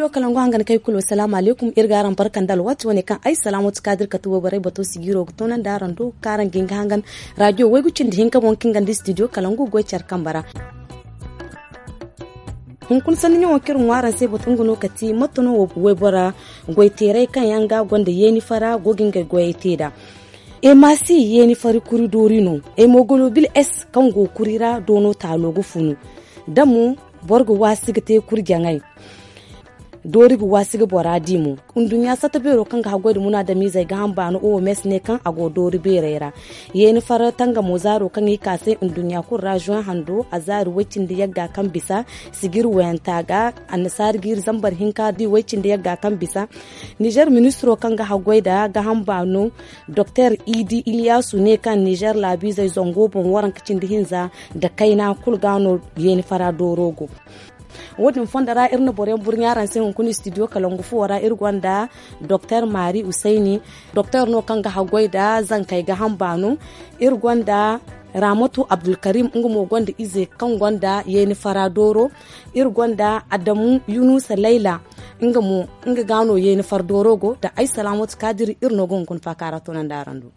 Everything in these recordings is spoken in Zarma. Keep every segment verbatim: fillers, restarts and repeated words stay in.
Kalangu hangan kay kulu, salaamu alaykum. Iri ga araŋ barka nda alwaati wane kaŋ ay salaamatu kaadir kate wayborey bato sigiiro ga toonandi araŋ do kaŋ araŋ ga hin ga hangan raadiyo waygu cindi hinka boŋ kaŋ ga nda studio kalangu goy care kambe ra. Hunkuna sanni ɲaŋo kaŋ iri ŋwa araŋ se batu nga no kati mate no waybora goyteerey kaŋ yaŋ ga gonda yeeni fara go ga ngey goyey te nd'a. Emasi yeeni fari kuri doori no. Hemoglobin s kaŋ go kuri ra doono taalo ga funu. Da mo boro ga waasi ga te kuri jaŋay. Doori ga waasi ga bora di mo. Nduɲɲa satta beero kaŋ ga haggoy nda munaadamiizey ga hamba no oms ne kaŋ a go doori beerey ra. Yeeni fara tangamo zaaro kaŋ i ka se nduɲɲa kulu ra juwan hando a zaari way-cindi yagga kaŋ bisa. Sijir wayanta ga annasaari ga iri zambar hinka di way-cindi yagga kaŋ bisa. Nizer ministiro kaŋ ga haggoy nda ga hamba no. Doktor idi iliyasu ne kaŋ nizer laabiizey zango boŋ waranka cindi hinza nda kayna kulu ga no yeeni fara dooro go. Wo- din fondo ra iri na boro yaŋ burɲa araŋ se hunkuna studio kalangu fuwo ra iri gonda doktor mari usayni. Doktor no kaŋ ga haggoy nda zankey ga hamba no. Iri gonda ramatu abdulkarim nga mo gonda ize kaŋ gonda yeeni fara dooro. Iri gonda adamu yunusa layla. Nga mo nga ga no yeeni fara dooro go nda ay salaamatu kaadiri iri no ga hunkuna faaka ra toonandi araŋ do.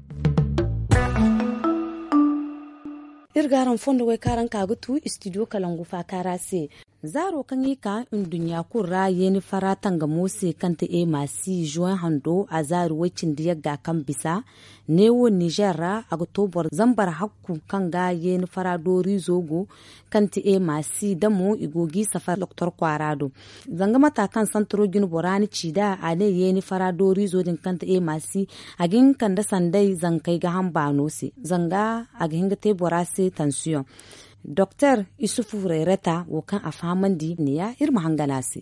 Iri ga araŋ fondo way kaŋ araŋ ka ga tu studio kalangu faaka ra se. Zaaro kaŋ i ka nduɲɲa kulu ra yeeni fara tangamo se kaŋ te emasi juwan hando a zaari way-cindi yagga kaŋ bisa. Neewo nizer ra a ga to boro zambar hakku kaŋ ga yeeni fara dooriizo go kaŋ te emasi da mo i go g'i safar doktor kwaara do. Zanga mata kaŋ santaro jine bora ni ci nd'a a ne yeeni fara dooriizo din kaŋ te emasi a ga hin kande sanday zankey ga hamba no se zanga a ga hin ga te bora se tansiyoŋ. Doktor isufu rayrata wo kaŋ a fahamandi ne ya iri ma hangan a se.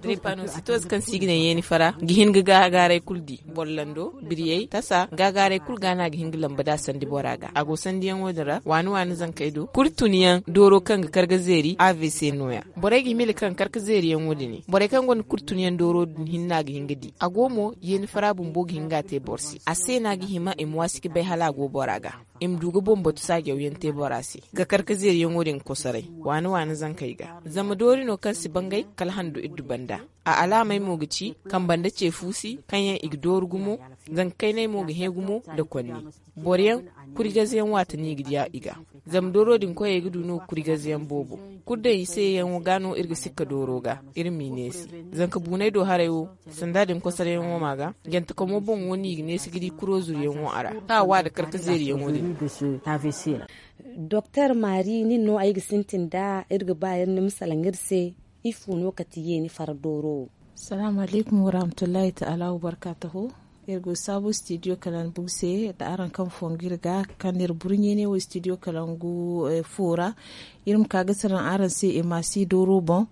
Tripanositoz kaŋ se i ga ne yeeni fara ga hin ga gaagaaray kulu di boro lando biriyey tasa gaagaaray kulu ga no a ga hin ga lamba da sandi bora ga a go sandiyaŋo din ra waani waani zankey do kuri tunyaŋ dooro kaŋ ga kar ga zeeri avc no- ya. Borey ga hima i la kaŋ kar ga zeeriyaŋo din borey kaŋ gonda kuri tunyaŋ dooro din hinne a ga hin ga di a go mo yeeni fara bumbo ga hin ga a te boro se a se no a ga hima i ma waasi ga bay hala a go bora ga. I ma du ga boŋ batu saajawyaŋ te bora se ga kar ga zeeriyaŋo din kosoray waani waani zankey ga zama doori no kaŋ si bangay kala hando iddu banda. A alaamey mo ga ci kamba nda ce fuusi kaŋ yaŋ i ga dooru gumo. Zanka kayney mo ga hẽ gumo nda konni boro yaŋ kuri gaze yaŋ waati no i ga diya i ga. Zama dooro din koyey ga du no kuri gaze yaŋ boobo. Kuri daŋ i se yaŋo ga no iri ga sikka dooro ga iri m'i neesi. Zanka buuney do haray wo sanda din kosaryaŋo ma ga jante kamo boŋ wo no i ga neesi ga di kuro zuru yaŋo a ra kaŋ a wa nda karka zeeri yaŋo din. Doktor mari nin no ay ga sintin nda iri ga ba iri ni ma salaŋ iri se. Ifo no kati yeeni fara dooro wo? Salaamu alaykum warahmatullahi taala wabarkaatahu. Iri go saabu studio kalangu se nda araŋ kaŋ fongu iri ga kaŋ no iri burɲe ne wo studio kalangu fo ra. Iri ma ka ga salaŋ araŋ se emasi dooro boŋ.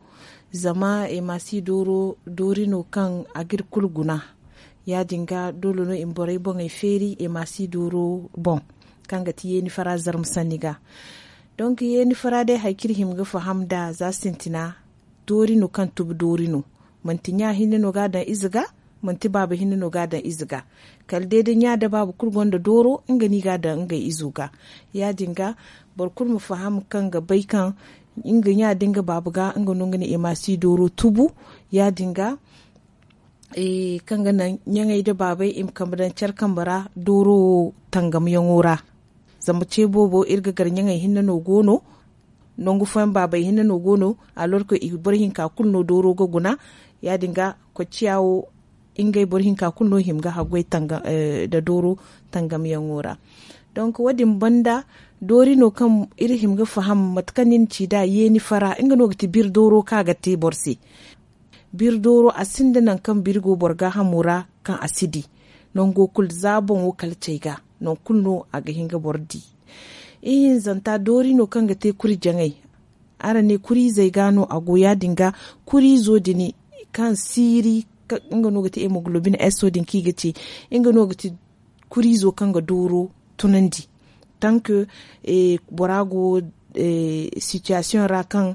Zama emasi dooro doori no kaŋ a ga iri kulu guna. Ya- din ga doole no i ma borey boŋey feeri emasi dooro boŋ kaŋ ga ti yeeni fara zarma sanni ga. Donk yeeni fara day hari kaŋ iri hima ga faham nd'a za sintina doori no kaŋ tubu doori no. Manti ɲa hinne no ga a daŋ ize ga. Manti baaba hinne no ga a daŋ ize ga. Kala day da ɲa nda baaba kulu gonda dooro nga no i ga a daŋ ngey izo ga. Ya- din ga boro kulu ma faham kaŋ ga bay kaŋ nga ɲa da nga baaba ga nga no nga na emasi dooro tubu. Ya- din ga kaŋ ga naŋ ɲaŋey nda baabey i ma kambe daŋ care kambe ra dooro wo tangamyaŋo ra. Zama ce boobo iri ga gar ɲaŋey hinne no go no. Nangu fooyaŋ baabey hinne no go no. Alorka i boro hinka kulu no dooro ga guna. Ya- din ga kocciya wo ngey boro hinka kulu no hima ga haggoy nda dooro tangamyaŋo ra. Donk wo- din banda doori no kaŋ iri hima ga faham mate kaŋ ni na ci nd'a yeeni fara nga no ga ti biri dooro kaŋ a ga te boro se. Biri dooro a sinda nangu kaŋ biri go boro gaahamo ra kaŋ a si di. Nango kulu za boŋo kala cay ga nangu kulu no a ga hin ga boro di. Ihinzanta doori no kaŋ ga te kuri jaŋay. Araŋ ne kuriizey ga no a go ya- din ga kuriizo din kaŋ siiri nga no ga ti hemoglobin s wo- din kaŋ i ga ce nga no ga ti kuriizo kaŋ ga dooro tunandi. Tank bora go sitiyasiyoŋ ra kaŋ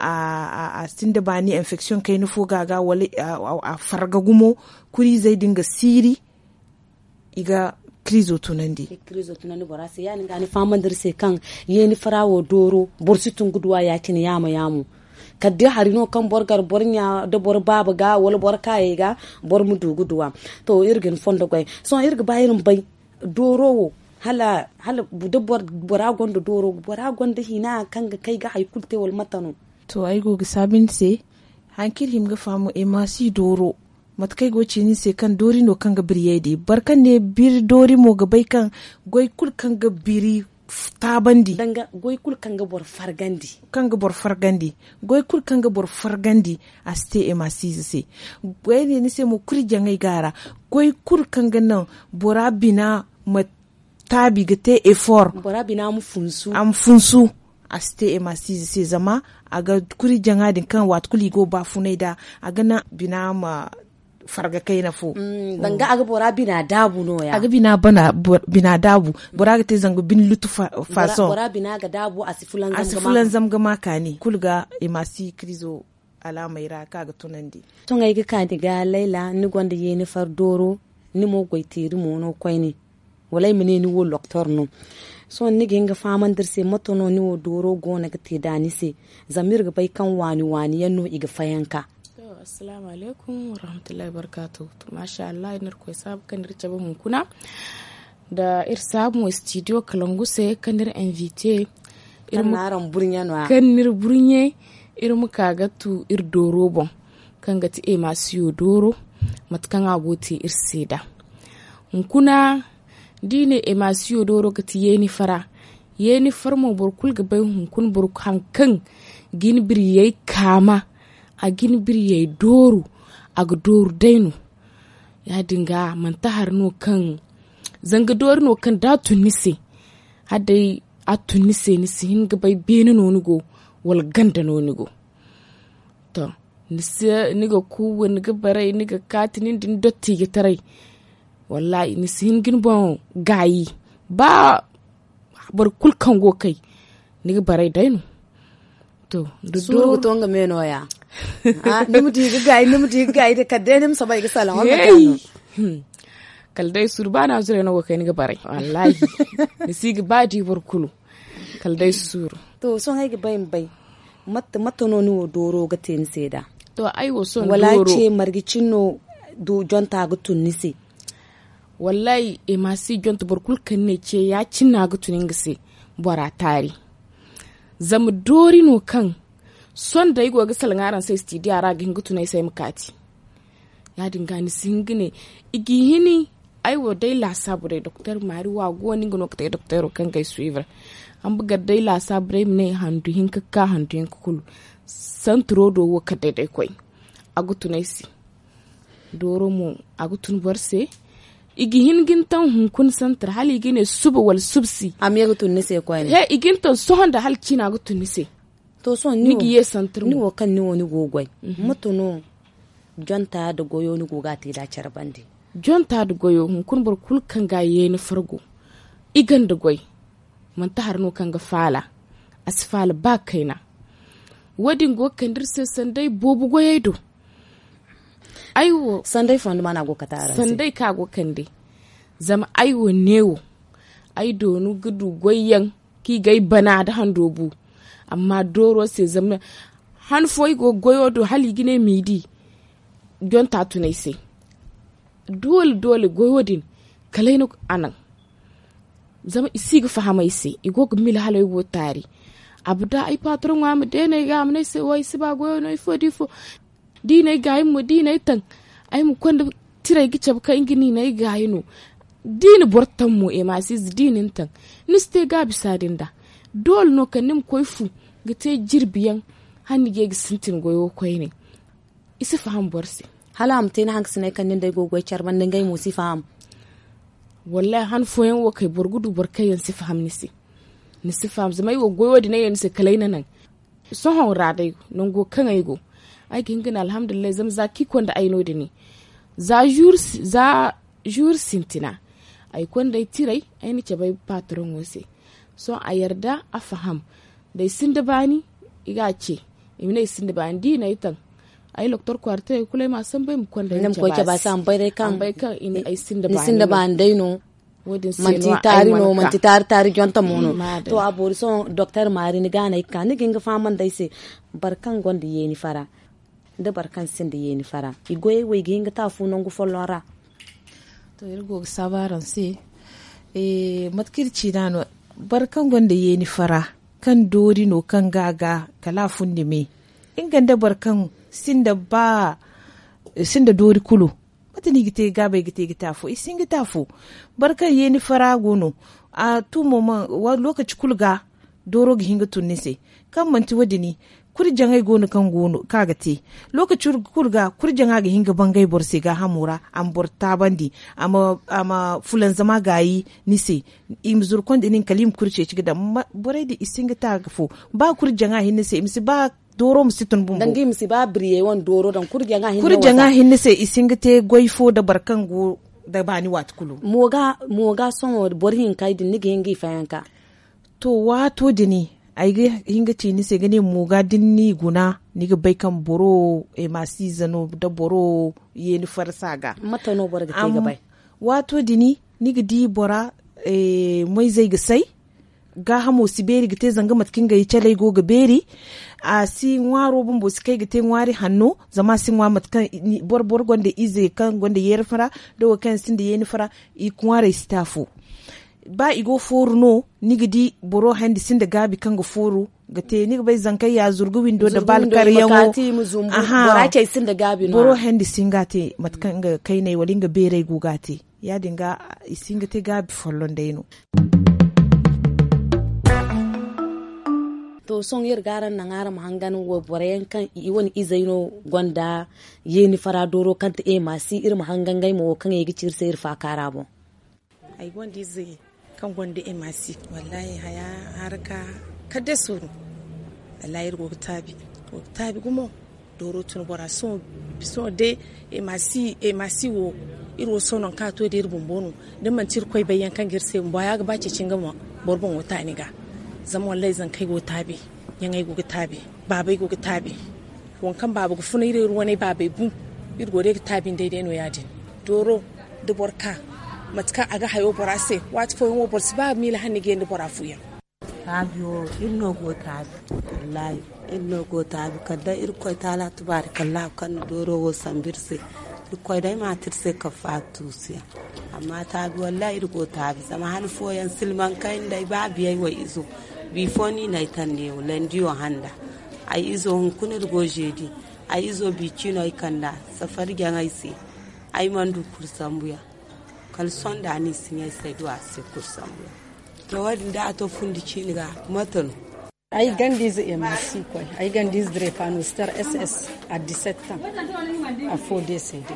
a sinda baani infeksiyoŋ kayna fo ga a ga wala a farga gumo kuriizey din ga siiri. I ga kiriizo tunandi. Bora se ya- din ga ni fahamandi iri se kaŋ yeeni fara wo dooro boro si tun ga duw'a ya- cine yaamo yaamo. Kala day hari no kaŋ boro gar boro ɲa da boro baaba ga wala boro kaayey ga, boro ma du ga duw'a. To, iri ga ni fondo goy. Sohõ iri ga ba iri ma bay dooro wo, hala da bora gonda dooro, bora gonda hina kaŋ ga kay ga hari kulu te wala mate no? To, ay go ga saabu ni se. Hari kaŋ iri hima ga faham, emaasi dooro, mate kaŋ ay go ga ci ni se kaŋ doori no kaŋ ga biriyay day. Boro kaŋ ne biri doori mo ga bay kaŋ goy kulu kaŋ ga biri taabandi. Danga goy kulu kaŋ ga boro fargandi. Kaŋ ga boro fargandi. Goy kulu kaŋ ga boro fargandi, a si te emaasiize se. Goy ne ni se mo kuri jaŋay ga a ra. Goy kulu kaŋ ga naŋ bora bina ma taabi ga te efor. Bora bina ma funsu. A ma funsu. A si te emaasiize se zama a ga kuri jaŋa din kaŋ waati kulu i go baafunay da, a ga naŋ bina ma farga kayna fo. Danga a ga bora bina daabu no ya. A ga bina daabu. Bora ga te zanga bine lutu. Faason bora bina ga daabu a si fulanzam ga ma kaani kulu ga emaasi kirizo alaamey ra kaŋ a ga tunandi. Sohõ ay ga kaani ga layla ni gonda yeeni far dooro, ni mo goy teeri mo no koyne. Wala ay ma ne ni wo loktor no. Sohõ ni ga hin ga fahamandi iri se mate no ni wo dooro go no ga te da ni se? Zama iri ga bay kaŋ waani waani yaŋ no i ga fayanka. Assalaamu alaykum warahmatullahi wabarkaatu. Maasa allah iri na iri koy saabu kaŋ iri cabe hunkuna nda iri saabu mo istidiyo kalangu se kaŋ iri invite. Kaŋ n'iri burɲe iri ma ka ga tu iri dooro boŋ, kaŋ ga ti emaasiyo dooro, mate kaŋ a go ga te iri se nd'a. Hunkuna da i ne emaasiyo dooro ga ti yeeni fara. Yeeni fara mo boro kulu ga bay hunkuna boro haŋ kaŋ ga ni biriyey kaama, a ga ni biriyey dooru, a ga dooru day no. Ya- din ga manti hari no kaŋ zanga doori no kaŋ da a tun ni se, hala day a tun ni se ni si hin ga bay beene no ni go, wala ganda no ni go. To, ni ga ku ni ga baray ni ga kaati nin da ni dotti ga taray. Wallaahi ni si hin ga ni boŋ gaayi. Ba boro kulu kaŋ go ga kay ni ga baray day no. To, da suuru ga to nga me no- ya. Ni ma di ga gaayi ni ma di ga gaayi da kala day ni ma saba ay ga salaŋ wala mate no. Kala day suuru ba na zuray no go ga kay ni ga baray wallaahi. Ni si ga ba di boro kulu. Kala day suuru. To sohõ ay ga bay ma bay mate no ni wo dooro ga te ni se nd'a? To ay wo sohõ wala ce marje cine no? Jonta ga tun ni se? Wallaahi ay ma si jonta boro kulu kaŋ ni ne ce ya-cine no a ga tun nga se. Bora taari zama doori no kaŋ sohõ da ay go ga salaŋ araŋ se istidiya ra a ga hin ga tun ay se ay ma kaati. Ya- din ga ni si hin ga ne i g'i hini. Ay wo day laasaabu day doktor maari wa go no nga no ga te doktoro kaŋ ga ay suivre. Amma gar day laasaabu day ay ma ne handu hinka ga ka handu hinka kulu. Santiro do wo kala day day koy a ga tun ay se. Dooro mo a ga tun boro se. I ga hin ga ni taŋ hunkuna santir hala i ga ne suba wala subsi. Amma i ga tun ni se koyne he i ga ni taŋ sohõ nda hala ciina ga tun ni se. To sohõ ni ga ye santir ni wo kaŋ ni wo ni go ga goy. Mate no jonta nda goyo ni go ga a te nd'a care bande? Jonta nda goyo hunkuna boro kulu kaŋ ga a yeeni fargo i gonda goy. Manti hari no kaŋ ga faala a si faala ba kayna. Wo- din go ga kande iri se sanday boobo goyey do. Ay wo sanday fondo ma no a go ga kate araŋ se sanday kaŋ a go ga kande. Zama ay wo neewo ay doonu ga du goyyaŋ kaŋ i ga ay bana nda hando bu. Amma dooro se zama han fo ay go ga goyo do hala i ga ne m'i di. Jonta tun ay se doole doole goyo din kala ay na a naŋ. Zama i si ga faham ay se i go ga mila hala ay go ga taari. Abada ay patroŋo a ma deena ay ga a ma ne ay se wo ay si ba goyo no ifo da ifo. Da i na ay gaayi mo da i na ay taŋ ay ma konda tiray ga cabe kaŋ nga no i na ay gaayi no. Da i na boro taŋ mo ay ma si ize da i na ni taŋ ni si te gaabisa din nd'a. Doole no kala ni ma koy fu ga te jirbi yaŋ hala ni ga ye ga sintin goyo koyne. I si faham boro se. Hala a ma te ni hankasiney kaŋ nin day go ga goy care banda ngey mo si faham. Wallaahi han fooyaŋ wo kay boro ga du boro kaŋ yaŋ si faham ni se. Ni si faham zama ay wo goyo din ay yaŋ ni se kala ay na naŋ. Sohõ ra day nango kaŋ ay go ay ga hin ga ne alhamdulillahi zama za kaŋ i konda ay no- din za zuur sintina ay konda ay tiray ay na cabe ay patroŋo se. Sohõ a yarda a faham da ay sinda baani i ga a ce. I ma ne ay sinda baani da i na ay taŋ ay loktor kwaara tiray kulu ay ma a sambu ay ma konda ay ma cabe a se. Ay sinda baani day no. Manti taari no, manti taari taari jonta mo no. To a boori sohõ doktor maari ni ga no ay ga ka ni ga hin ga fahamandi ay se. Boro kaŋ gonda yeeni fara, da boro kaŋ sinda yeeni fara, i goyey wo i ga hin ga te afo nangu folloŋ ra? To iri go ga saabu araŋ se. Mate kaŋ iri ci nd'a no, boro kaŋ gonda yeeni fara, kaŋ doori no kaŋ ga a ga, kala a fundi me. Nga nda boro kaŋ sinda ba sinda doori kulu. Mate no i ga te gaabay ga te ga te afo i si hin ga te afo. Boro kaŋ yeeni fara go no, a tumo ma lookaci kulu ga dooro ga hin ga tun ni se. Kaŋ manti wo- din, kurjaŋey go no kaŋ go no kaŋ a ga te. Lookaci kulu ga kurjaŋa ga hin ga bangay boro se gaahamo ra, a ma boro taabandi, a ma fulanzama gaayi ni se. I ma zuru konda nin kala i ma kuri ceeci ga daŋ. Borey din i si hin ga te a ga fo. Ba kurjaŋa hinne se i ma si ba dooro ma si tun bumbo. Danga i ma si ba biriyey wane dooro daŋ kurjaŋa hinne se i si hin ga te goy fo nda boro kaŋ go nda baani waati kulu. Mo ga sohõ boro hinka din ni ga hin ga i fayanka? To waato din ay ga hin ga ci ni se ga ne mo ga da ni n'i guna, ni ga bay kaŋ boro wo emasi ize no nda boro wo yeeni farasa ga. Mate no boro ga te ga bay? Waato din ni ga di bora moyzey ga say. Gaahamo si beeri ga te zanga mate kaŋ ngey caley go ga beeri. A si ŋwaaro bumbo si kay ga te ŋwaari hanno, zama a si ŋwa mate kaŋ boro gonda ize kaŋ gonda yeeri fara, da wo kaŋ yaŋ sinda yeeni fara, i ŋwaarey si te afo. Ba i go fooru no, ni ga di boro handi sinda gaabi kaŋ ga fooru ga te ni ga bay zankey ya zurgu windo nda baali karyaŋo. Boro handi si hin ga a te mate kaŋ nga kayney wala nga beerey go ga a te. Ya- din ga i si hin ga te gaabi folloŋ day no. To sohõ iri ga araŋ naŋ araŋ ma hangan wayborey yaŋ kaŋ i wane izey no gonda yeeni fara dooro kaŋ ti emasi iri ma hangan ngey mo wo kaŋ i ga ci iri se iri faakaara boŋ. Ay gonda ize kaŋ gonda emasi. Wallaahi haya haraka kala day suuru. Wallaahi iri go ga taabi gumo. Dooro tun bora sohõ day emasi wo. Iri wo sohõ nangu kaŋ a to day iri bumbo no. Da manti iri koy bayyaŋ kaŋ ga iri se bumbo haya ga ba ceeci nga ma boro boŋo taani ga. Zama wallaahi zankey go taabi, ɲaŋey go ga taabi, baabey go ga taabi. Waŋ kaŋ baaba ga funa iri iri wane baabey bu. Iri go day ga taabi nd'ey day no ya- din. Dooro da boro ka mate kaŋ a ga hayo bora se. Waati fooyaŋ wo boro si ba miila hanni ga yandi bora fuyaŋ. Taabi wo iri no go taabi. Wallaahi iri no go taabi kala day irkoy taala tubaari kallaahu kaŋ na dooro wo sambu iri se. Irkoy day ma te iri se kafaatu tuusuyaŋ. Amma taabi wallaahi iri go taabi zama han fooyaŋ silmaŋ kayna day ba biyey wo izo. Bifo no i na ay taŋ neewo landiyo handa. Ay izo hunkuna iri go zeedi. Ay izo bi ciino ay kand'a safari jaŋ ay se. Ay mana du kuri sambuyaŋ. Kala sohõ da ni si ɲay say du a se kuri sambuyaŋ. To wo- din da a to fundi ciini ga mate no? Ay ganda ize emasi koy. Ay ganda ize drepano star ss a disetan. Afo de se de.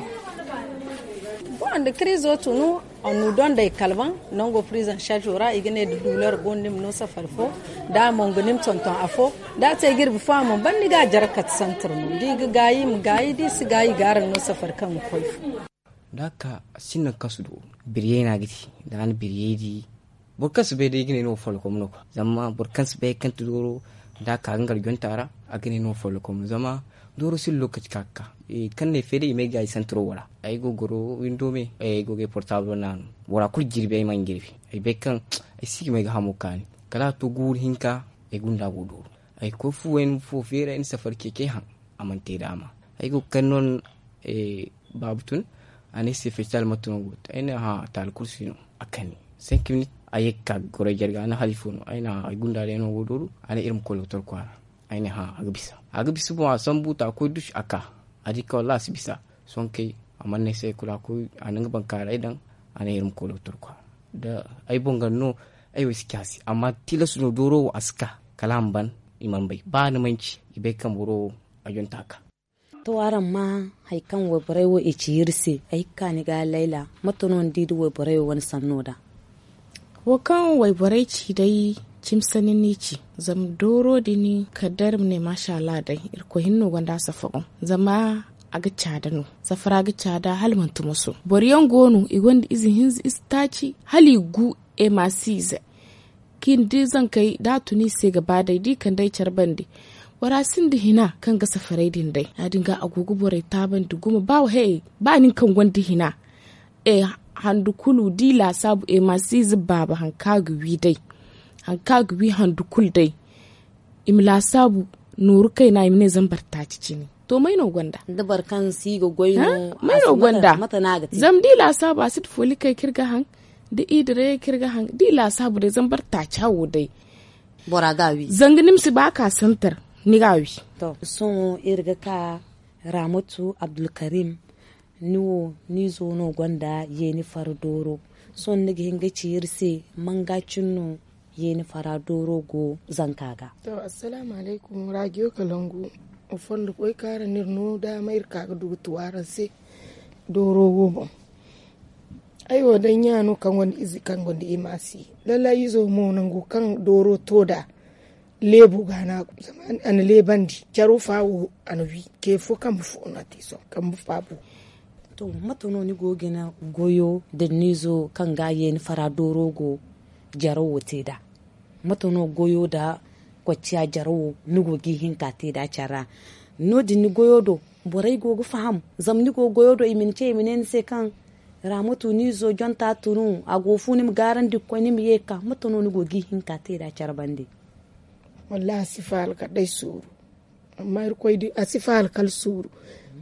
Bon da krizo tunu. Annu dondey kalbaŋ nango prizan sajo ra i ga ne da duular go no ni ma no safari fo. Da a mo nga ni ma tonton afo. Da a te girbi fo a mo ban ni ga a jare kate santir no da i ga gaayi i ma gaayi da i si gaayi i ga araŋ no safari kaŋ ga koy fo. Da a ka sinda kasu do biriyey no a ga ti. Da a na biriyey di boro kaŋ si bay day i ga ne no follokom no kwa zama boro kaŋ si bay kaŋ ti dooro. Da a ka ga ngar jonta ra a ga ne no follokom zama dooro si lokaci ka ga ka kaŋ ne feeri i may ga ay santiro wala ay go goro windo me ay go ga ay portable naanu. Bora kulu jirbi ay mana jirbi ay bay kaŋ ay si ga may ga hamo kaani. Kala a to guuru hinka ay gunda go dooro ay koy fu wayna fo feeri ay na safari keke haŋ. A mana te daama ay go ga kani no. Baabu tun a ne ay se festival mate no go te ay ne hã taali kulu si no. A kani cinq minutes a ye ga ka ga goro ay jarga a ne hala ifo no ay ne hã ay gunda day no go dooro. A ne iri ma koy lokotor kwaara. Ay ne hã a ga bisa a ga bisa boŋ a sambu ta a koy dusu a ka a di ka wallaahi a si bisa. Sohõ kay a mana ne ay se kulu a koy a na nga bankaaray daŋ. A ne iri ma koy lokotor kwaara da ay boŋ ganda no. Ay wo ay si ci a se amma tilas no dooro wo a si ka kala a ma ban. I mana bay ba ni manci i bay kaŋ boro wo a jonta ka. To araŋ ma hari kaŋ wayborey wo i ci iri se ay ga ka ni ga layla mate no ni di da wayborey wo wane sanno da? Wo kaŋ wayborey ci day cimi sanni no i ci. Zama dooro din kala day iri ma ne maasa allah day irkoy hinne no gonda a safago zama a ga caada no. Safara ga caada hala manti moso boro yaŋ go no i gonda ize hinza ize taaci hala i gu emasi ize. Kaŋ i na di zankey da a tun i se ga ba day da i kande ay care bande. Bora sinda hina kaŋ ga safaray din day ya- din ga a go ga borey taabandi gumo ba nin kaŋ gonda hina. Handu kulu da i laasaabu, e ma si ize baaba hari kaŋ a ga wi day, hari kaŋ a ga wi handu kulu day. I ma laasaabu nooru kayna, i ma ne zambar taaci cine. To may no gonda? May no gonda? Zama da i laasaabu a si ti fooli kay kaŋ iri ga haŋ, da i dirayey kaŋ iri ga haŋ da i laasaabu day zambar taaci hawo day. Zanga ni ma si ba ka santar, ni ga a wi. Sohõ iri ga ka, raamatu abdulkarim, ni wo ni izo no gonda yeeni fara dooro. Sohõ ni ga hin ga ci iri se, manga cine no yeeni fara dooro go zanka ga? To, assalaamu alaykum, raajiyo kalangu. Wa fondo koy kaara no iri no daama iri ka ga du ga tu araŋ se dooro wo boŋ. Ay wo day ɲa no kaŋ gonda ize kaŋ gonda imaasi. Lallay izo mo nango kaŋ dooro to nd'a, leebo ga no a go zama a na leebandi caro fa wo, a na wi ce fo kambe fo no a te sohõ kambe fa bo. To, mate no ni go ga gina goyo nda ni izo kaŋ ga yeeni fara dooro go jaro wo te nd'a? Mate no goyo nda kocciya jaro wo ni go ga i hin ka te nd'a care ra? No- din ni goyo do, borey go ga faham? Zama ni go goyo do i ma ni ce i ma ne ni se kaŋ raamatu ni izo jonta tunu a go ga fu ni ma gaarandi ga koy ni ma ye ga ka mate no ni go ga i hin ka te nd'a care bande? Wallaahi a si faala kala day suuru. Amma irkoy di a si faala kala suuru.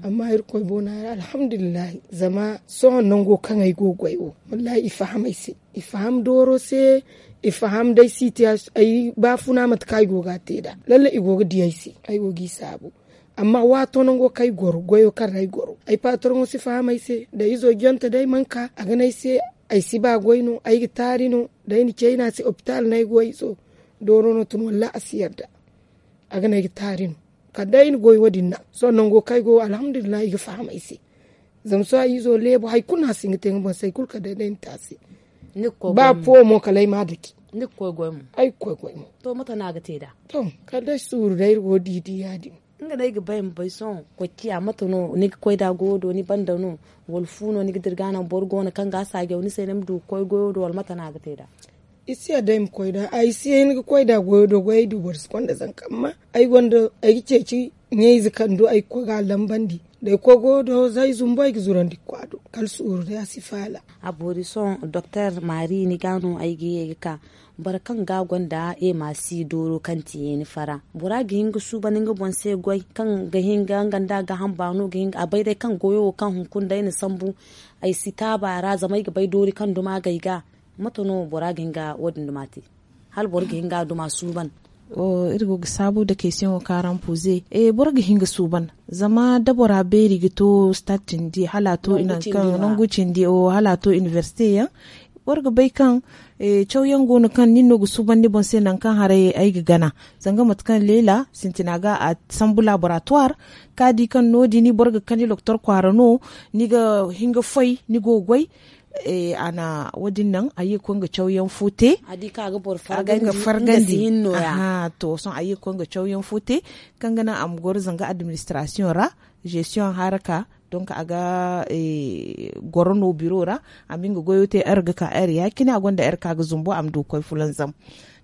Amma irkoy boona ra alhamdulillahi. Zama sohõ nango kaŋ ay go ga goy wo, wallaahi i faham ay se. I faham dooro se. I faham day si te ay baafuna mate kaŋ ay go ga a te nd'a. Lallay i go ga di ay se. Ay go ga i saabu. Amma waato nango kaŋ ay goro goyo kaŋ ra ay goro ay paataroŋo si faham ay se. Da izo jonte day mana ka a ga ne ay se, ay si ba goy no, ay ga taari no. Da ay na cayna se opitaal no ay go ay izo. Dooro no tun wallaahi a si yarda. A ga ne ay ga taari no. Kala day ay na goy wo- din naŋ. Sohõ nango kaŋ ay go alhamdulillahi i ga faham ay se. Zama sohõ ay izo leebo hari kulu no a si hin ga te nga boŋ se hari kulu kala day day ay na te a se. Ba fo mo kala ay ma a dake. Ay ga koy goy mo. To mate no a ga te nd'a? To, kala day suuru day iri go ga di di ya- din. Nga no ay ga bay ma bay sohõ kocciya mate no ni ga koy nd'a goyo do ni banda no? Wala fu no ni ga dira ga naŋ boro go no kaŋ ga a saajaw ni se ni ma du ga koy goyo do wala mate no a ga te nd'a? I si yadda ay ma koy nd'a ay si hin ga koy nd'a goyo do goy ay du boro si konda zanka amma ay gonda ay ga ceeci ɲayze kaŋ du ay ga koy ga a lambandi. Da ay koy goyo do za ay zumbu ay ga zurandi ga koy a do kala suuru day a si faala. A boori sohõ doktor maari ni ga no ay ga ye ga ka. Boro kaŋ ga gonda ema si dooro kaŋ ti yeeni fara bora ga hin ga suuban nga boŋ se goy kaŋ ga hin ga nga nda a ga hamba no ga hin ga a bay day kaŋ goyo wo kaŋ hunkuna day na sambu. Ay si taaba a ra zama ay ga bay doori kaŋ duma ga ay ga. Mate no bora ga hin ga wo- din duma te? Hala boro ga hin ga a duma suuban. Iri go ga saabu nda kaysiyaŋo kaŋ araŋ poze. Boro ga hin ga suuban zama da bora beeri ga to stade cindi hala a to i nangu cindi hala a to inibersite yaŋ. Boro ga bay kaŋ cawyaŋ go no kaŋ nin no ga suuban ni boŋ se nangu kaŋ haray ay ga gana. Zanga mate kaŋ leela sintina ga a sambu laboratuwar ka di kaŋ no- din boro ga kani loktor kwaara no. Ni ga hin ga foy ni go ga goy. A na wo- din naŋ a ye ga koy nga cawyaŋ fo te. A ga nga fargandi. Aha to sohõ a ye ga koy nga cawyaŋ fo te kaŋ ga naŋ a ma goro zanga administrasiyoŋ ra. Zestiyoŋ haraka donk a ga goro no biro ra. A ma nga goyo te heure ga ka heure ya- cine a gonda heure kaŋ a ga zumbu a ma du ga koy fulanzam.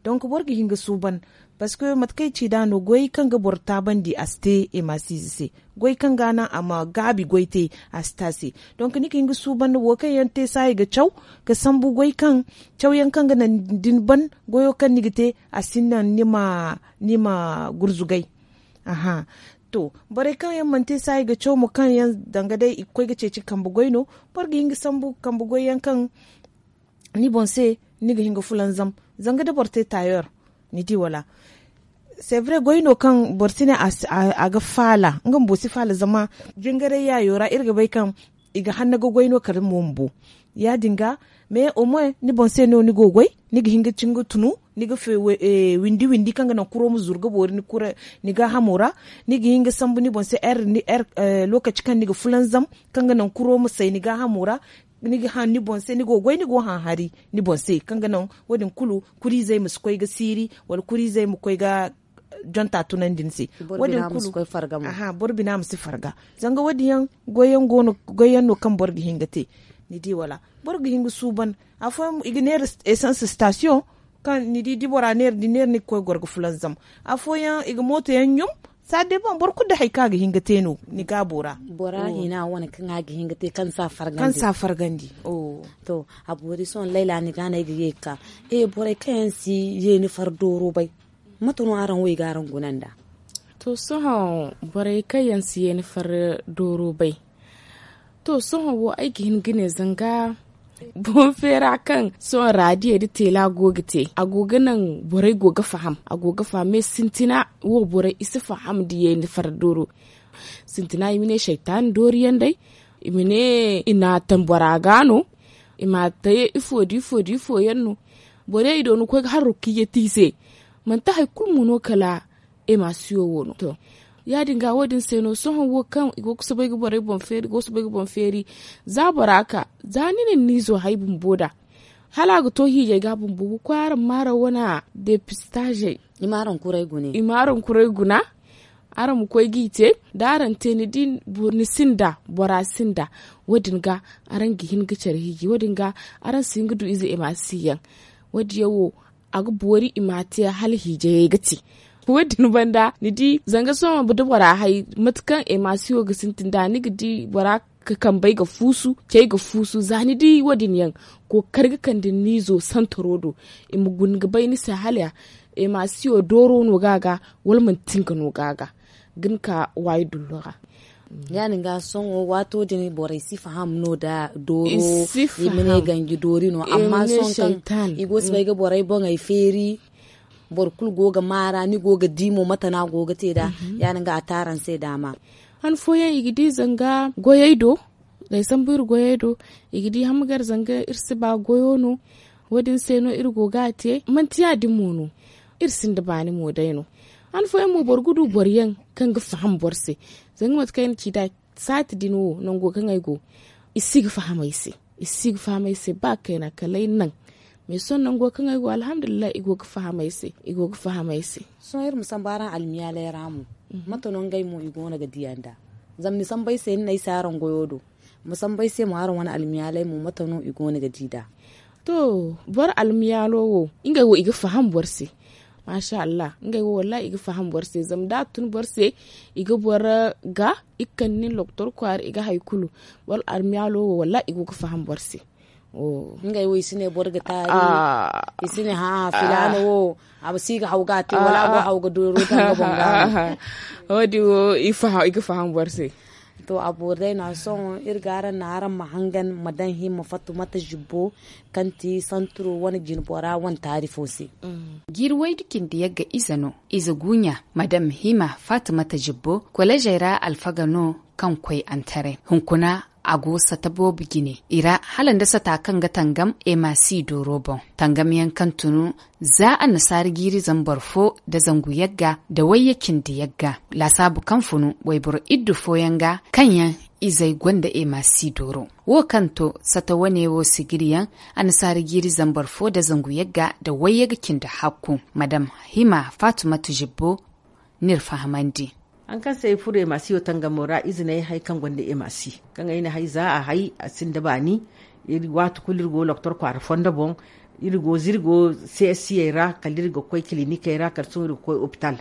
Donk boro ga hin ga suuban. Parceque mate kaŋ ay ci nd'a no goy kaŋ ga boro taabandi a si te ema si ize se. Goy kaŋ ga a naŋ a ma gaabi goy te a si te a se. Donk ni ga hin ga suuban wo kaŋ yaŋ te saayi ga caw ga sambu goy kaŋ cawyaŋ kaŋ ga naŋ da ni ban goyo kaŋ ni ga te a si naŋ ni ma gurzugay. Aha. To borey kaŋ yaŋ mana te saayi ga caw mo kaŋ yaŋ danga day i ga koy ga ceeci kambe goy no. Boro ga hin ga sambu kambe goy yaŋ kaŋ ni boŋ se ni ga hin ga fulanzam. Zanga da boro te tayer ni di wala? C'est vrai goy no kaŋ boro si ne a ga faala nga bumbo si faala zama jingaray yaayo ra iri ga bay kaŋ i ga hanna ga goy no kala mo bumbo. Ya- din ga mais au moins ni boŋ se no ni go ga goy ni ga hin ga cin ga tunu ni ga windi windi kaŋ ga naŋ kuro ma zuru ga boori ni gaahamo ra. Ni ga hin ga sambu ni boŋ se lokaci kaŋ ni ga fulanzam kaŋ ga naŋ kuro ma say ni gaahamo ra. Ni ga haŋ ni boŋ se ni go ga goy ni go ga haŋ hari ni boŋ se kaŋ ga naŋ wo- din kulu kuriizey ma si koy ga siiri wala kuriizey ma koy ga jonta tunandi ni se. Wo- din kulu boro bina ma si farga. Zanga wo- din yaŋ goy yaŋ no kaŋ boro ga hin ga te. Ni di wala? Boro ga hin ga suuban afooyaŋ i ga neera esans stasiyoŋ kaŋ ni di da bora neera da neera ni ga koy goro ga fulanzam. Afooyaŋ i ga mooto yaŋ ɲum. Saadde boŋ boro kulu da hari kaŋ a ga hin ga te no ni gaabo ra. Bora hina wane kaŋ a ga hin ga te kaŋ si a fargandi. To, a boori sohõ layla ni ga no ay ga ye ga ka. Borey kaŋ yaŋ si yeeni far dooro bay, mate no araŋ wo i ga araŋ guna nd'a? To, sohõ borey kaŋ yaŋ si yeeni far dooro bay. To, sohõ wo ay ga hin ga ne zanga boŋ feera kaŋ sohõ raadiyo nda teela go ga te, a go ga naŋ borey go ga faham, a go ga faham me sintina wo borey i si faham nda yeeni far dooro. Sintina i ma ne saytaani doori yaŋ day, i ma ne i na a taŋ bora ga no, i ma a te ifo nda ifo nda ifo yaŋ no. Borey i do ni koy ga harro kiyya te i se. Manti hari kulu mo no kala emasiyo wo no. To, ya- din ga wo- din se no sohõ wo kaŋ i go ga soobay ga borey boŋ feeri i go ga soobay ga boŋ feeri. Za bora ka za ni na ni izo hay bumbo nd'a, hala a ga to hiijay ga bumbo ga koy araŋ ma araŋ wane depistaazey. I ma araŋ kuray guna. Araŋ ma koy g'i te da araŋ te ni di ni sinda bora sinda. Wo- din ga araŋ ga hin ga care hiiji wo- din ga araŋ si hin ga du ize emasi yaŋ. Wo- din yaŋ wo a ga boori i ma a te hala hiijayey ga te. Wo- din banda ni di zanga sohõ da bora hay mate kaŋ emasiyo ga sintin nd'a ni ga di bora ga kambey ga fuusu cey ga fuusu za ni di wo- din yaŋ. Kookari ga kande ni izo santaro do i ma guna ga bay ni se hala emasiyo dooro no ga a ga wala manti nga no ga a ga ga ni ka waayi dullo ra. Ya- din ga sohõ waato din borey si faham no nda dooro i ma ne ganji doori no amma sohõ kaŋ i go ga soobay ga borey boŋey feeri. Boro kulu go ga maara ni go ga di mo mate no a go ga te nd'a. Ya- din ga a te araŋ se daama. Han fooyaŋ i ga di zanga goyey do da ay sambu iri goyey do i ga di hamgar zanga iri si ba goyo no. Wo- din se no iri go ga a te manti ya- din mo no. Iri sinda baani mo day no. Han fooyaŋ mo boro ga du boro yaŋ kaŋ ga faham boro se. Zanga mate kaŋ ay na ci nd'a saati din wo nango kaŋ ay go i si ga faham ay se. I si ga faham ay se ba kayna kala ay naŋ. Mais sohõ nango kaŋ ay go alhamdulillahi i go ga faham ay se. I go ga faham ay se. Sohõ iri ma sambu araŋ almiyaaley ra mo mate no ngey mo i go no ga diya nd'a? Zama ni sambu ay se ni ne ay se araŋ goyo do. Ma sambu ay se mo araŋ wane almiyaaley mo mate no i go no ga di nd'a? To, boro almiyaalo wo ngey wo i ga faham boro se. Maasa allah ngey wo wallahi i ga faham boro se zama da a tun boro se i ga boro ga i ga kande nin doktor kwaara i ga hari kulu. Boro almiyaalo wo wallahi i go ga faham boro se. Ngey wo i si ne boro ga taari. I si ne hã filaana wo a ma si ga haw ga a te wala a go haw ga dooro ga nga boŋ ga. Wo- din wo i ga faham boro se. To a boori day no a sohõ iri ga araŋ no araŋ ma hangan ma daŋ himma fattumata zibbo kaŋ ti santuro wane jinbora wane taari fo se. Jiiri waydu cindi yagga ize no. Ize guunya madam hima fattumata zibbo kolezey ra alfaga no kaŋ koy antaray hunkuna a go sata boobo jine i ra hala nda sata kaŋ ga tangam emasi dooro boŋ tangamyaŋ kaŋ tunu za annasaara jiiri zambar fo nda zangu yagga nda wayye cindi yagga laasaabu kaŋ funu wayboro iddu fooyaŋ ga kaŋ yaŋ izey gonda emasi dooro wo kaŋ to sata wane wo sigiriyaŋ annasaara jiiri zambar fo nda zangu yagga nda wayye ga cindi hakku madam hima fatumatu zibbo n'iri fahamandi. Hari kaŋ se ay furo emasiyo tangamo ra ize n'ay hay kaŋ gonda emasi kaŋ ay na hay za a hay a sinda baani. Iri waati kulu iri go doktor kwaara fondo boŋ iri go za iri go csiyey ra kala iri ga koy kilinikey ra kala sohõ iri ga koy opital.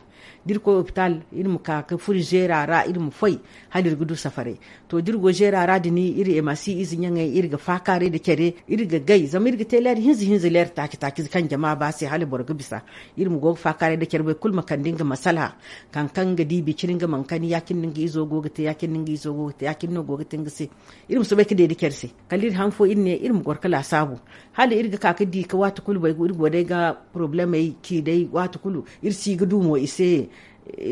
Da iri koy opital iri ma ka ga furo zeera ra iri ma foy hala iri ga du safaray. To da iri go zeera ra din iri emasi ize ɲaŋey iri ga faakaaray nda care iri ga gay zama iri ga te leera hinza hinza leera taaci taaci kaŋ jama ba se hala boro ga bisa. Iri ma go ga faakaaray nda care boro kulu ma kande nga masala kaŋ kaŋ nga di biciri nga mana kani ya- cine no nga izo go ga te ya- cine no go ga te nga se. Iri ma soobay ga deede care se kala iri han fo iri ne iri ma goro ga laasaabu hala iri ga ka ga di ga waati kulu bay iri go day ga porobulemey ci day waati kulu iri si ga du mo i se.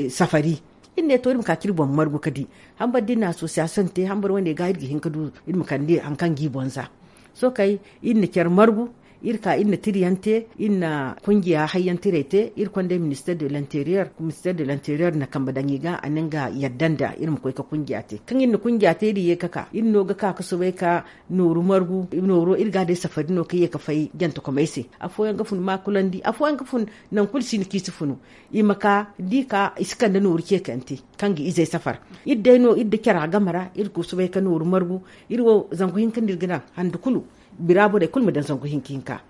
Safari iri ne to iri ma ka ga iri boŋ margu ga di hambar da iri na asosiyasiyoŋ te hambar wane ga iri ga hin ga du iri ma kande hari kaŋ ga i boŋ za. Sohõ kay iri na care margu iri ka iri na tiriyaŋ te iri na kungiya hayyaŋ tiray te iri konday minister de l'interieur na kambe daŋ i ga a na nga yadda nda iri ma koy ga kungiya te kaŋ iri na kungiya te iri ye ga ka iri no ga ka ga soobay ga nooru margu nooro iri ga a day safari no kaŋ ye ga fay jantakomey se. Afooyaŋ ga fun maakulandi afooyaŋ ga fun nangu kulu si no kaŋ i si funu. I ma ka da i ka i si kande nooru ceekante kaŋ ga izey safar. Iri day no iri da cara game ra iri ga soobay ga nooru margu. Iri wo zangu hinka no iri ga naŋ hande kulu bira borey kulu ma daŋ zangu hinka hinka.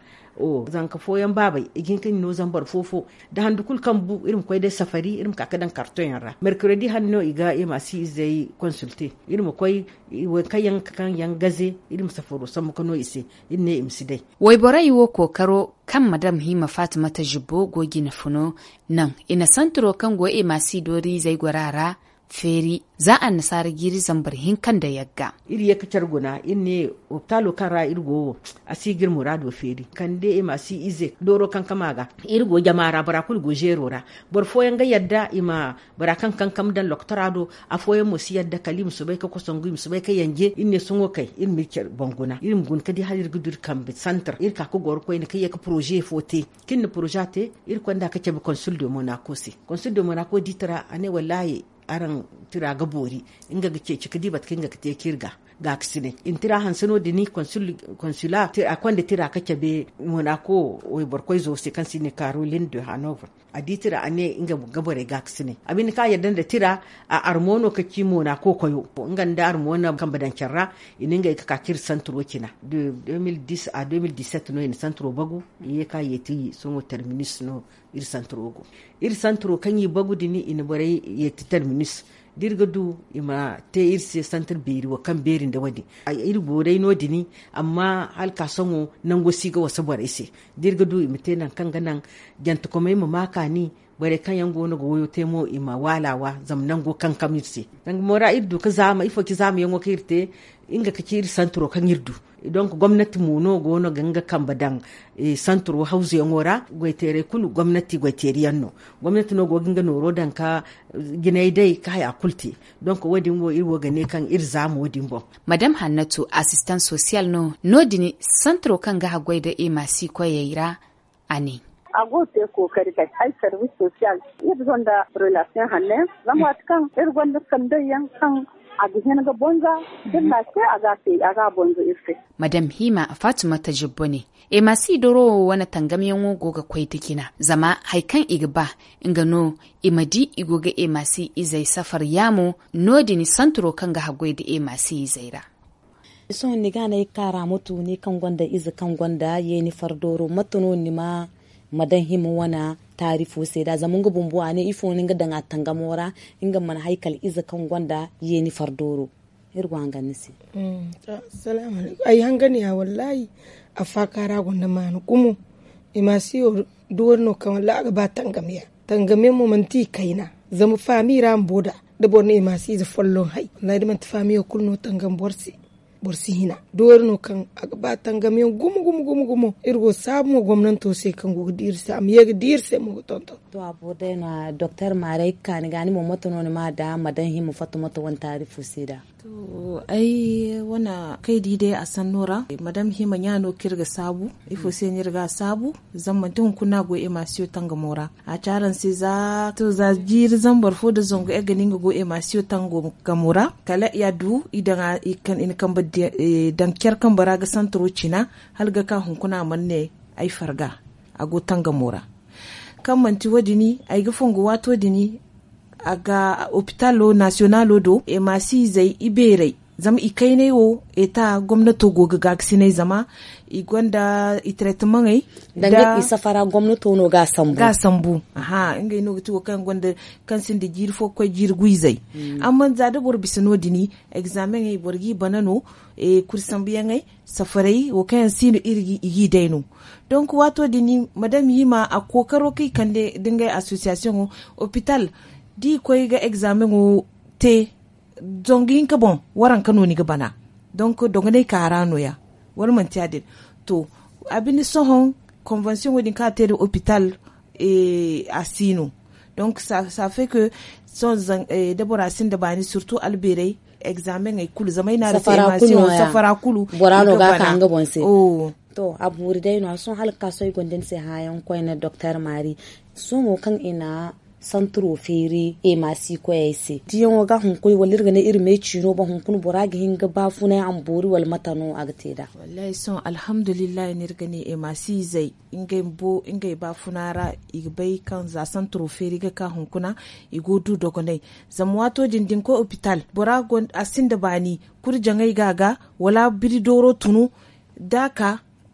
Zanka fooyaŋ baabey i ga hin ka ni no zambar fo-fo, da handu kulu kaŋ bu iri ma koy day safari iri ma ka ga daŋ kartoyaŋ ra mercredi hari no i ga emaasi izey konsulte. Iri ma koy waŋ kaŋ yaŋ gaze iri ma safaro sambu ka no i se. Iri ne i ma si day. Wayborey wo kookaro kaŋ madam hima fatimata zibbo go jine funo naŋ i na santiro kaŋ go emaasi dooriizey gora ra feeri za annasaara jiiri zambar hinka nda yagga. Iri ye ka care guna iri ne opitaalo kaŋ ra iri go wo a si ga iri muraado feeri kande i ma a si ize dooro kankama ga. Iri go jama ra bora kulu go zeero ra. Boro fooyaŋ ga yadda i ma bora kaŋ kankam daŋ lokotora do. Afooyaŋ mo si yadda kala i ma soobay ga kosangu i ma soobay ga yanje iri ne sohõ kay iri ma iri care boŋ guna iri ma guna ga di hala iri ga du iri kambe santar iri ka ga goro koyne kaŋ ye ga poroze fo te. Kaŋ iri na poroze te iri konda ga cabe konsul de monako se. Konsul de monako di tira a ne wallaahi araŋ tira ga boori. Nga ga ceeci ga di mate kaŋ nga ga te kaŋ iri ga gaakasinay i na tira hanse no- din konsula a konda tira ga cabe monako wayboro koyzo se kaŋ se i ne karolin de hanover. A di tira a ne nga ga borey gaakasinay a binde kaŋ a yadda nda tira. A armo no ka ci monako koyo nga nda armo na kambe daŋ care ra. I na ngey ga ka kaŋ iri santiro cina de deux mille dix à deux mille dix sept no i na santiro bagu. I ye kaŋ a yeeti sohõ terminus no. Iri santiro go iri santiro kaŋ i bagu din i na borey yeeti terminus da iri ga du i ma te iri se santir beeri wo kaŋ beeri nda wo- din. Iri go day no- din amma hala ka sohõ nango si ga wasa borey se. Da iri ga du i ma te nangu kaŋ ga naŋ jantekomey ma ma kaani. Borey kaŋ yaŋ go no ga wayo te mo i ma waala wa zama nango kankam iri se. Danga mo ra iri du ga zaama ifo ci zaamayaŋo kaŋ iri te. Nga ga ci iri santiro kaŋ iri du. Donk gomnati mo no go no ga nga kambe daŋ santiro hawzuyaŋo ra goyteerey kulu gomnati goyteeri yaŋ no. Gomnati no go ga nga nooro daŋ ga jinay day ga haya kulu te. Donk wo- din wo iri wo ga ne kaŋ iri zaama wo- din boŋ. Madam hannatu asistan sosiyal no no- din santiro kaŋ ga haggoy nda emaasi koyey ra. A ne. A go ga te kookari kay ay sarwis sosiyal iri gonda relasiyoŋ hanne zama waati kaŋ iri gonda sanday yaŋ kaŋ a ga hin ga bonza da iri na a te a ga a bonza iri se. Madam hima fatimata jibbo ne emaasi doro wo wane tangamyaŋo go ga koy nda jina zama hari kaŋ i ga ba nga no i ma di i go ga emaasi izey safar yaamo. No- din santiro kaŋ ga haggoy nda emaasi izey ra. Sohõ ni ga no ay ga ka ra ma tu ni kaŋ gonda ize kaŋ gonda yeeni fardooro mate no ni ma ma daŋ hima wane taarifo se nd'a zama nga bumbo a ne ifo no ni ga daŋ a tangamo ra? Nga mana hay kala ize kaŋ gonda yeeni fardooro. Iri go hangan ni se. Ay hangan ya wallaahi. Afaaka ra gonda maana gumo. I ma si wo duwari no kaŋ wallaahi a ga ba tangam yaŋ. Tangam yaŋ mo manti i kayna zama faami ra bumbo nd'a da boro ne i ma si ize folloŋ hay wallaahi da manti faamiyo kulu no tangam boro se. Boro si hina doori no kaŋ a ga ba tangam yaŋ gumo gumo gumo gumo. Iri go saabu mo gomnanto se kaŋ go ga di iri se a ma ye ga di iri se mo ga tonton. To a boro day no a doktor maaray ga kaani ga ni mo mate no ni ma da madan hima fatta mate wane taari fo se da? To ay wane kay di day a sanno ra madan hima ɲa no kaŋ iri ga saabu. Ifo se no iri ga a saabu? Zama manti hunkuna a go emasiyo tangamo ra. A ci araŋ se za to za jiiri zambar fo nda zangu iri ga ne nga go emasiyo tangamo ra kala i a du i daŋ a i na kambe daŋ care kambe ra ga santaro cina. Hala ga ka hunkuna a mana ne ay farga a go tangamo ra. Kaŋ manti wo- din ay ga fongu waato din a ga opitalo nasiyonalo do emasi izey i beeray. Zama i kaynay wo eta gomnato go ga gaakasinay zama i gonda i taretemaŋey. Danga i safara gomnato no ga a sambu. Ngey no ga ti wo kaŋ gonda kaŋ sinda jiiri fo ga koy jiiri guyzey. Amma za da boro bisa no- din egzameŋey boro g'i bana no. Kuri sambuyaŋey safaray wo kaŋ yaŋ si no i g'i day no. Donk waato din madam hima a kookaro kaŋ i kande da ngey asosiyasiyoŋo opital da i koy ga egzameŋo te. Zangu hinka boŋ waranka no ni ga bana. Donk dogonay kaara no- ya wala manti ya- din? To a binde sohõ konvansiyoŋo din kaŋ a te nda opital a si no. Donk safe ke sohõ da bora sinda baani sirtu albeeray egzameŋey kulu zama ay ne araŋ se emasiyoŋo safara kulu bora no ga a ka nga boŋ se. To a boori day no- ya sohõ hala ga ka sohõ ay gonda ni se hããyaŋ koyne doktor maari. Sohõ mo kaŋ i na santiro feeri emasi koyey se diyaŋo ga hunkuna wala iri ga ne iri meeciino boŋ hunkuna bora ga hin ga baafunay a ma boori wala mate no a ga te nd'a? Wallaahi sohõ alhamdulillahi no iri ga ne emasi izey ngey bumbo ngey baafuna ra i ga bay kaŋ za santiro feeri ga ka hunkuna i go ga du dogonay. Zama waato din da ni koy opital bora a sinda baani kuri jaŋay ga a ga wala biri dooro tunu da a ka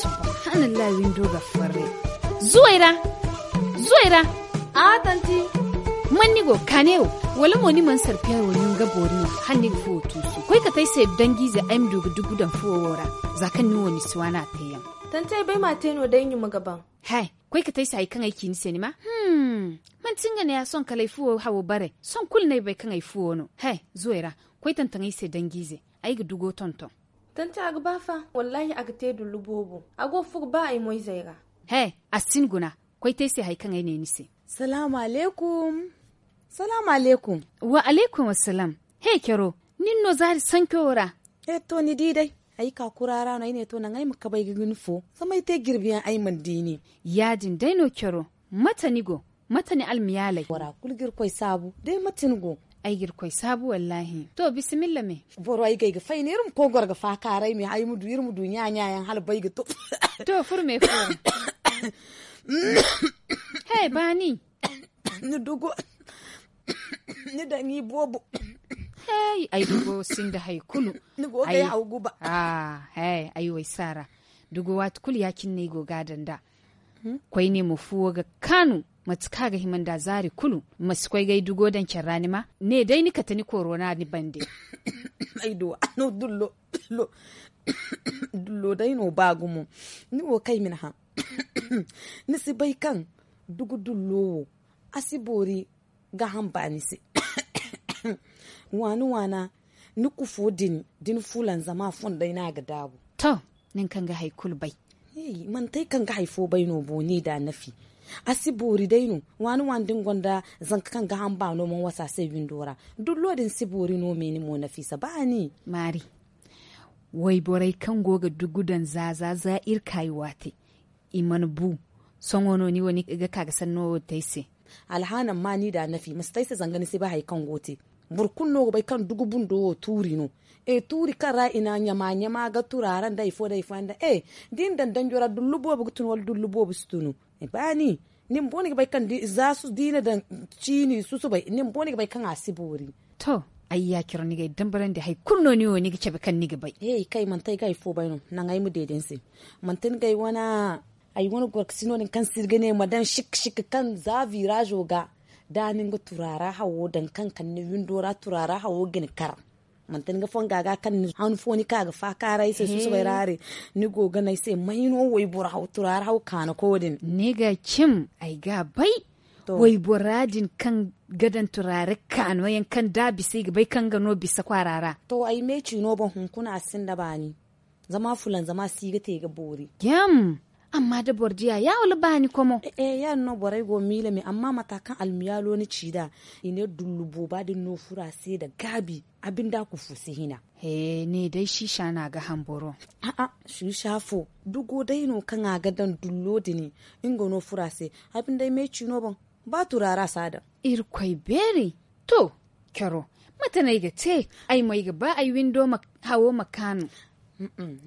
Subhanallah, windo ga farre. Zuwayra, zuwayra. A tanti. Man ni go kaane wo? Wala mo ni man sarpiya wo ni nga boori no? Hala ni ga fuwo tuusu koy ka te ay se dangiize ay ma du ga dugu daŋ fuwo wo ra. Za kaŋ ni wo ni si waana a teeyaŋ. Tanti, ay bay ma a te no day ɲuma ga baŋ. He, koy ka te ay se hari kaŋ ay ci ni se ni ma. Hmm. Manti nga ne ya sohõ kala ay fuwo hawo bare. Sohõ kulu no ay bay kaŋ ay fuwo no. He, zuwayra, koy tantaŋ ay se dangiize. Ay ga dugo tonton. Tanti, a ga ba fa. Wallaahi a ga te dullu boobo. A go ga furo ba ay moyzey ra. He, a si ni guna. Koy te ay se hari kaŋ ay ne ni se. Salaamu alaykum. Salaamu alaykum. Wa alaykum assalaam. He caro, nin no zaari sanco ra? He to ni di day. Ay ka kura ra no ay ne to naŋ ay ma kabay ga ni fo. Zama ay te jirbi yaŋ ay mana di nin. Ya- din day no caro. Mate ni go? Mate ni almiyaaley? Bora kulu ga irkoy saabu. Day mate ni go? Ay ga irkoy saabu wallaahi. To bisimilla me. Boro ay ga ay ga fay no iri ma koy goro ga faakaaray me ay ma du iri ma du ɲa-ɲa yaŋ hala bay ga to. To furo me furo. He baani. Ni dugo. Ni daŋ i boobo. Hey, ay dugo sinda hari kulu. Ni go ga ay haw guba. Hey, ay way saara. Dugo waati kulu ya- cine no ay go ga a daŋ nd'a. Koyne mo fuwo ga kaanu. Mate kaŋ a ga hima nda zaari kulu, ma si koy ga ay dugo daŋ care ra ni ma ne day ni kate ni korona ni bande. Ay duwa no dullo. Dullo day no ba gumo. Ni wo kay ma ni hã. Ni si bay kaŋ dugu dullo wo a si boori ga hamba ni se. Waana waana ni kufo din da ni fulanzama fondey no a ga daabu. To, nin kaŋ ga hari kulu bay. Manti ay kaŋ ga hari fo bay no bo ni da nafi. A si boori day no. Waana waana da ni gonda zanka kaŋ ga hamba no mana wasa se windo ra. Dullo din si boori no me ni mo nafiisa baani. Maari. Wayborey kaŋ go ga dugu daŋ za za za iri kaayi waate. I mana bu. Sohõ no ni wo ni ga ka ga sanno wo te ay se. Alhaana amma ni da nafi ma si te ay se zanga ni si bay hari kaŋ go te. Boro kulu no ga bay kaŋ dugu bundo wo tuuri no. E tuuri kaŋ ra i na ɲama ɲama ga turaara nda hari fo nda hari fo yaŋ da e da i na daŋ danjo ra dullu boobo ga tun wala dullu boobo si tunu. Baani. Ni bumbo ni ga bay kaŋ za su da i na daŋ ciini susubay ni bumbo ni ga bay kaŋ a si boori. To, ay ya coro ni ga ay dambarandi hari kulu no ni wo ni ga cabe kaŋ ni ga bay. He i kay manti ay ga hari fo bay no. Naŋ ay ma deede ni se. Manti ni ga ay wane ay wane gorkasi no- din kaŋ se iri ga ne ma daŋ sik sik kaŋ za viraazo ga da ni nga turaara hawo daŋ kaŋ kande windo ra turaara hawo ga ni kar. Manti ni ga fonga ga kaŋ ni han fo ni ka ga faakaaray se susubay ra haray. Ni go ga ne ay se may no wayboro haw turaara haw kaanako din? Ni ga cim ay ga bay. Waybora din kaŋ ga daŋ turaara kaano yaŋ kaŋ da a bisa i ga bay kaŋ ga no bisa kwaara ra. To ay me ciino boŋ hunkuna a sinda baani. Zama fulan zama si ga te ga boori. Yam. Amma da boro diya ya wala baani komo. Ya- din no borey go miila me amma mata kaŋ almiyaalo ni ci nd'a i ne dullu booba din no furo a se nda gaabi. A binde a kufu si hina. He ne day siisa no a ga haŋ boro. A'a siisa fo dugo day no kaŋ a ga daŋ dullo din. Nga no furo a se. A binde ay me ciino boŋ. Ba turaara si a daŋ. Irkoy beeri. To, caro. Mate no ay ga te? Ay mo ay ga ba ay windo hawo ma kaanu.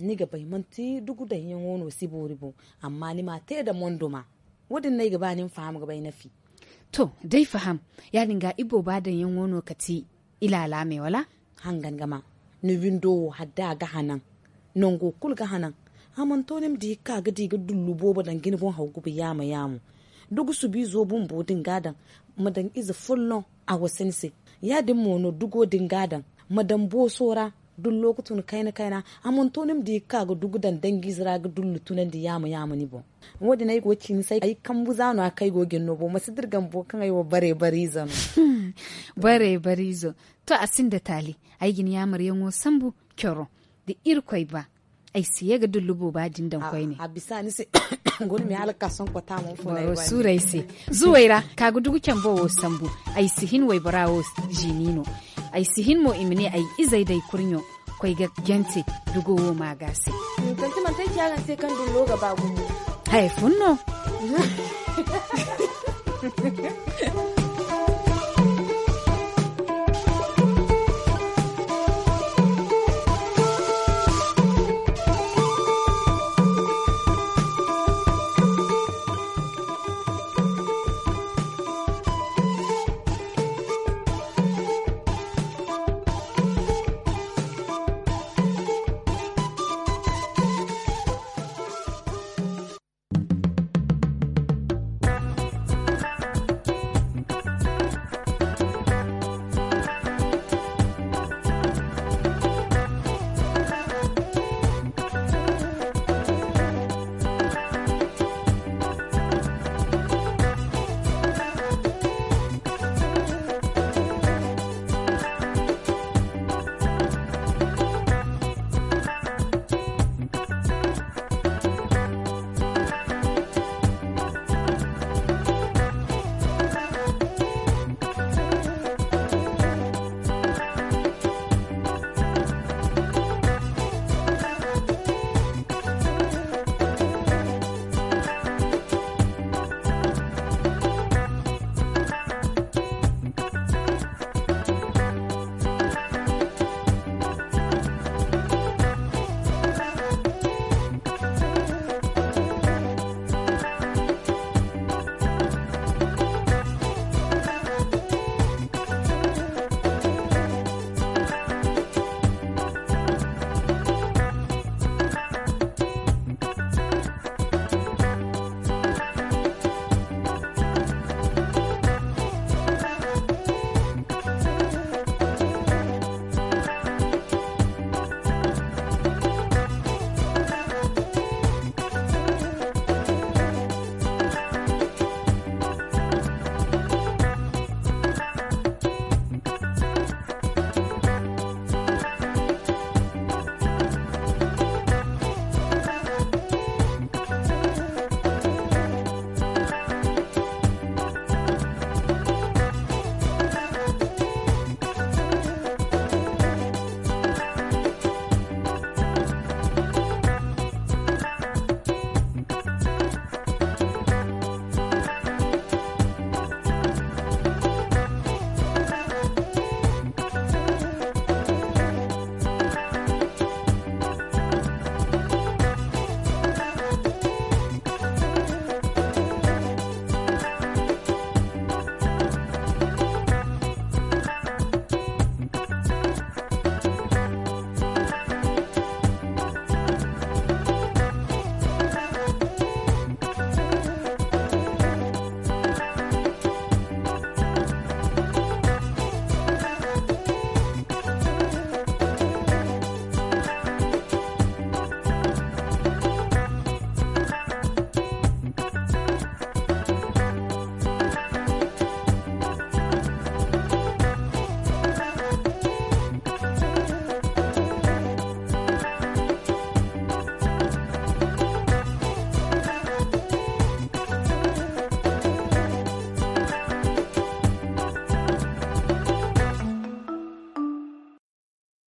Ni ga bay manti dugu daŋyaŋo no si boori boŋ. Amma ni ma a te nda monduma. Wo- din no ay ga ba ni ma faham ga bay nafi. To, da ay faham. Ya- din ga ibooba daŋyaŋo no kati ilaala me wala? Hangan ga ma. Ni windo wo hala da a ga hanan. Nango kulu ga hanan. A mana to ni ma di ga ka ga di ga dullu boobo daŋ ga ni boŋ haw guba yaamo yaamo. Dugu subiizo bumbo din ga a daŋ. Ma daŋ ize folloŋ a wasa ni se. Ya- din mo no dugo din ga a daŋ. Ma daŋ booso ra. Dullo ga tun kayna kayna. A mana to ni ma di ga ka ga dugu daŋ danjiize ra ga dullu tunandi yaamo yaamo ni boŋ. Wo- din ay go ga ci ni se ay kambu za no- ya kaŋ ay go ga hin no boŋ ma si dira gambo kaŋ ay wo bare bare ize no. Bare bare izo. To a sinda taali. Ay ga ni yaamaryaŋo sambu. Coro da irkoy ba. Ay si ye ga dullu booba din daŋ koyne. A bisa ni se. Guna me hala ga ka sohõ kota mo fo no ay ga ba ni. Boro suuru ay se. Zuwey ra ka ga dugu cambo wo sambu. Ay si hin waybora wo ziini no. Ay si hin mo i ma ne ay izey da ay kurɲo koy ga jante. Dugo wo ma ga se. Manti manti ay ci a ga ni se kaŋ dullo ga ba gumo. Haya fun no.